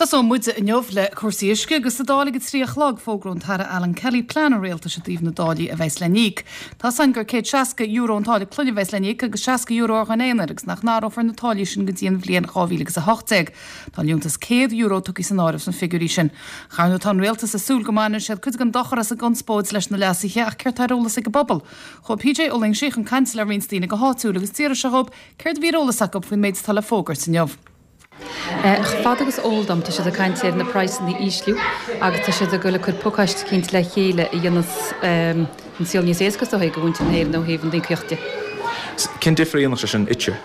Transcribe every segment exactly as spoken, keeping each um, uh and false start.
Tosóidh muid inniu le cúrsaí uisce agus sa Dáil ag a trí a chlog fógróidh an tAire Alan Kelly plean an rialtais i dtaobh na dtáillí a bheas le n-íoc. Tá san gur céad seasca euro an táille clainne a bheas le n-íoc agus seasca euro ar dhuine aonair agus nach n-athrófar na táillí sin go dtí an bhliain dhá mhíle agus a hocht déag. Tá liúntas céad euro tugtha san áireamh sna figiúirí sin. Ar ndóigh tá an rialtas ag súil go mbaineann siad cuid den dochar as an gconspóid leis na leasuithe ach céard atá ar eolas ag an bpobal. Chuaigh PJ Ó Loingsigh chun cainte le roinnt daoine go háitiúil agus d'iarr sé dhóibh céard a bhí ar eolas acu faoin méid atá le fógairt inniu. Fad agus eol dom tá siad ag caint ar na praghsanna a ísliú agus tá siad ag dul ag cur pacáiste eicínt le chéile a dhéanfas an saol níos éasca is dóigh do mhuintir na hÉireann ó thaobh an íocaíocht de. Cén difear a dhéanfadh sé sin duitse?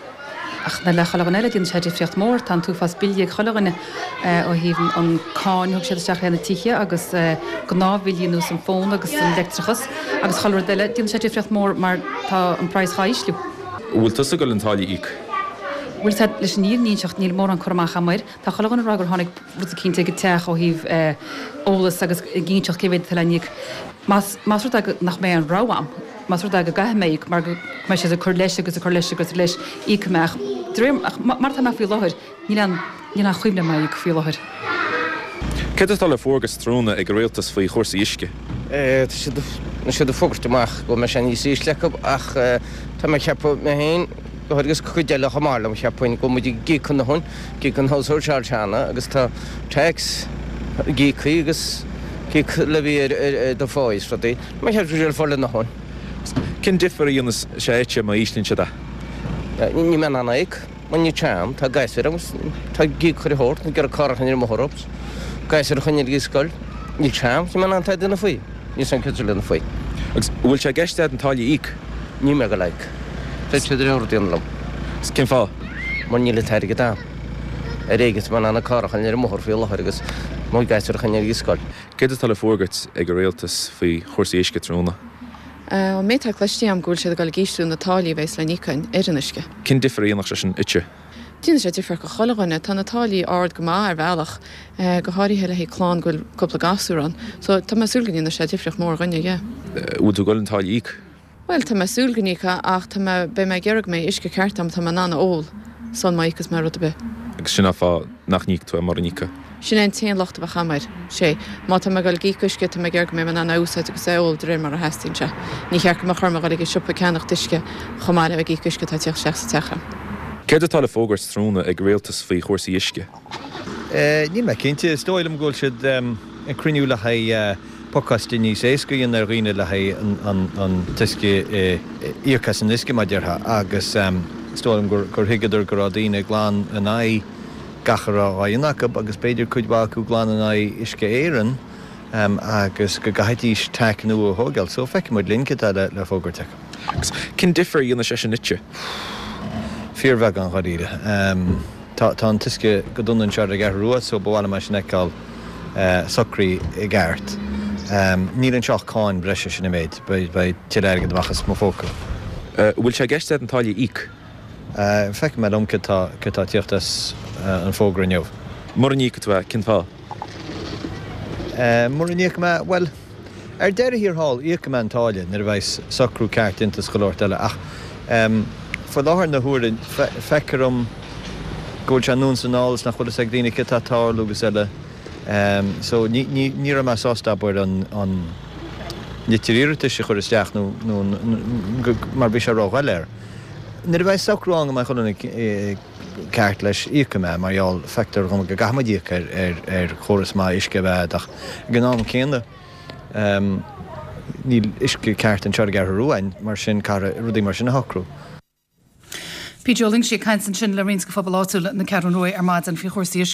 Ach na le chuile dhuine eile déanann sé difríocht mór, tá an t-uafás billí ag chuile dhuine ó thaobh an cáin a thug siad isteach ar na tithe agus gnáthbhillí ar nós an fón agus an leictreachas agus chuile rud eile, déanann sé difríocht mór mar tá an praghas á ísliú. Bhfuil tusa ag dul an táille a íoc? Bhuel tá leis an fhírinne a inseacht níl mórán cur amach agam air. Tá chuile dhuine ag rá gur tháinig rud eicínt ag an teach ó thaobh eolas agus ag inseacht cé mhéad atá le n-íoc. Más más rud é nach mbeidh aon rogha agam, más rud é go gcaithfidh mé íoc mar go mbeidh siad ag cur leis agus ag cur leis agus leis íocfaidh mé ach de réir ach mar atá mé faoi láthair níl aon níl aon chuimhne agam é a íoc faoi láthair. Céard atá le fógairt tráthnóna ag an rialtas faoi chúrsaí uisce? Tá siad siad ag fógairt amach go mbeidh sé níos ísle acu ach tá mé ag ceapadh mé féin go agus cuid eile chomh maith liom cheapfainn go muid ag íoc a ndóthain ag íoc an household charge cheana agus tá tax ag íoc agus íoc levy ar ar do phá is rudaí. Má cheap sé fáil a ndóthain. Cén difear a dhéanfas sé duitse má íslíonn siad é? Ní mé an íoc, mar ní team, tá gasúir agus tá ag íoc chuile shórt, ag iarraidh carr a choinneáil ar an mbóthar agus gasúir a choinneáil ag an scoil. Níl team, ní mé an tá duine faoi. Níl san céad duine faoi. Agus bhfuil sé i gceist agat an táille a íoc? Ní mé go like. Tá siad ar déanamh liom. Cén fáth? Mar níl an t-airgead agam. Ar éigean tá mé in ann an carr a choinneáil ar an mbóthar faoi láthair agus mo ghasúir a choinneáil ag an scoil. Céard atá le fógairt ag an rialtas faoi chúrsaí uisce tráthnóna? An méid atá cloiste agam go bhfuil siad ag dul ag ísliú na táillí a bheas le n-íoc ar an uisce. Cén difear a dhéanfadh sé sin duitse? Déanann sé difear do chuile dhuine, tá na táillí ard go maith ar bhealach, go háirithe le haghaidh clann go bhfuil cúpla gasúr ann. So tá mé ag súil go ndéanfaidh sé difríocht mór dhuine, yeah. Bhfuil tú ag dul an táille a íoc? Well tá mé ag súil go n-íocfaidh ach tá mé beidh mé ag iarraidh go mbeidh uisce ceart agam tá mé in ann a ól sul má íocfas mé rud ar bith. Agus sin an fáth nach n-íocfaidh tú é mura n-íocfaidh. Sin é an t-aon locht a bheadh agam air. Sé, má tá mé ag dul ag íoc uisce tá mé ag iarraidh go mbeidh mé in ann é a úsáid agus é a ól de réir mar a theastaíonn sé. Ní cheart go mbeadh orm a dhul ag an siopa ag ceannacht uisce chomh maith le ag íoc uisce atá ag teacht isteach sa teach. Céard atá le fógairt tráthnóna ag an rialtas faoi chúrsaí uisce? Níl mé cinnte, is dóigh liom go bhfuil siad ag cruinniú le haghaidh pacáiste níos éasca a dhéanamh ar dhaoine le haghaidh an t-uisce íoc as an uisce mar déarfá agus is dóigh liom gur thuigeadar go raibh daoine glan in aghaidh gach a raibh á dhéanamh acu agus b'fhéidir cuid mhaith acu glan in aghaidh Uisce Éireann agus go gcaithfidís táille nua a thógáil. So feicfidh muid linn cad atá le fógairt acu. Agus cén difear a dhéanfadh sé sin duitse? Fíorbheagán dáiríre. Tá tá an t-uisce go dona anseo ar an gCeathrú Rua so ba mhaith liom é sin a fheiceáil socraithe i gceart. Níl anseo ach cáin breise sin an méid, beidh tuilleadh airgid amach as mo phóca. Bhfuil sé i gceist agat an táille a íoc? Feicfidh mé liom cad tá cad tá ag tíocht as an fógra inniu. Mura n-íocfaidh tú é, cén fáth? Mura n-íocfaidh mé, bhuel, ar deireadh thiar thall, íocfaidh mé an táille nuair a bheidh socrú ceart déanta is chuile shórt eile ach faoi láthair na huaire feictear dom go bhfuil sé anonn is anall is nach bhfuil fhios ag daoine cad tá ag tarlú agus eile. So ní ní ní raibh mé sásta abair an an litir iarratais a chur isteach nó nó mar bhí sé ródhoiléir. Nuair a bheidh socrú ann go mbeidh chuile dhuine ceart leis íocfaidh mé mar gheall feictear dhom go gcaithfidh muid íoc ar ar ar chóras maith uisce a bheith ach ag an am céanna níl uisce ceart anseo ar an gCeathrú Rua mar sin caithfear rudaí mar sin a shocrú. PJ Ó Loingsigh ag caint ansin le roinnt de phobal áitiúil na Ceathrún Rua ar maidin faoi chúrsaí uisce.